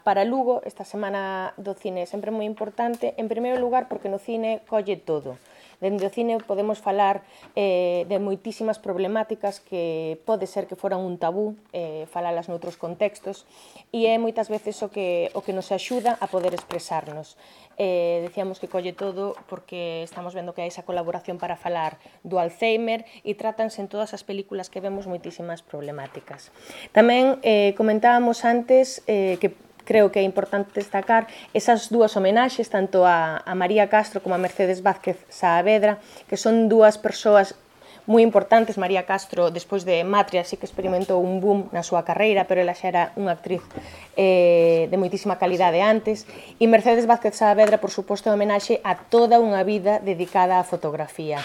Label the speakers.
Speaker 1: Para Lugo, esta semana do cine é sempre moi importante, en primeiro lugar porque no cine colle todo. Dende o cine podemos falar de moitísimas problemáticas que pode ser que foran un tabú, falalas noutros contextos, e é moitas veces o que nos axuda a poder expresarnos. Decíamos que colle todo porque estamos vendo que hai esa colaboración para falar do Alzheimer e tratanse en todas as películas que vemos moitísimas problemáticas. Tamén comentábamos antes que creo que é importante destacar esas dúas homenaxes, tanto a María Castro como a Mercedes Vázquez Saavedra, que son dúas persoas moi importantes. María Castro, despois de Matria, sí que experimentou un boom na súa carreira, pero ela xa era unha actriz de moitísima calidade antes, e Mercedes Vázquez Saavedra, por suposto, é homenaxe a toda unha vida dedicada á fotografía.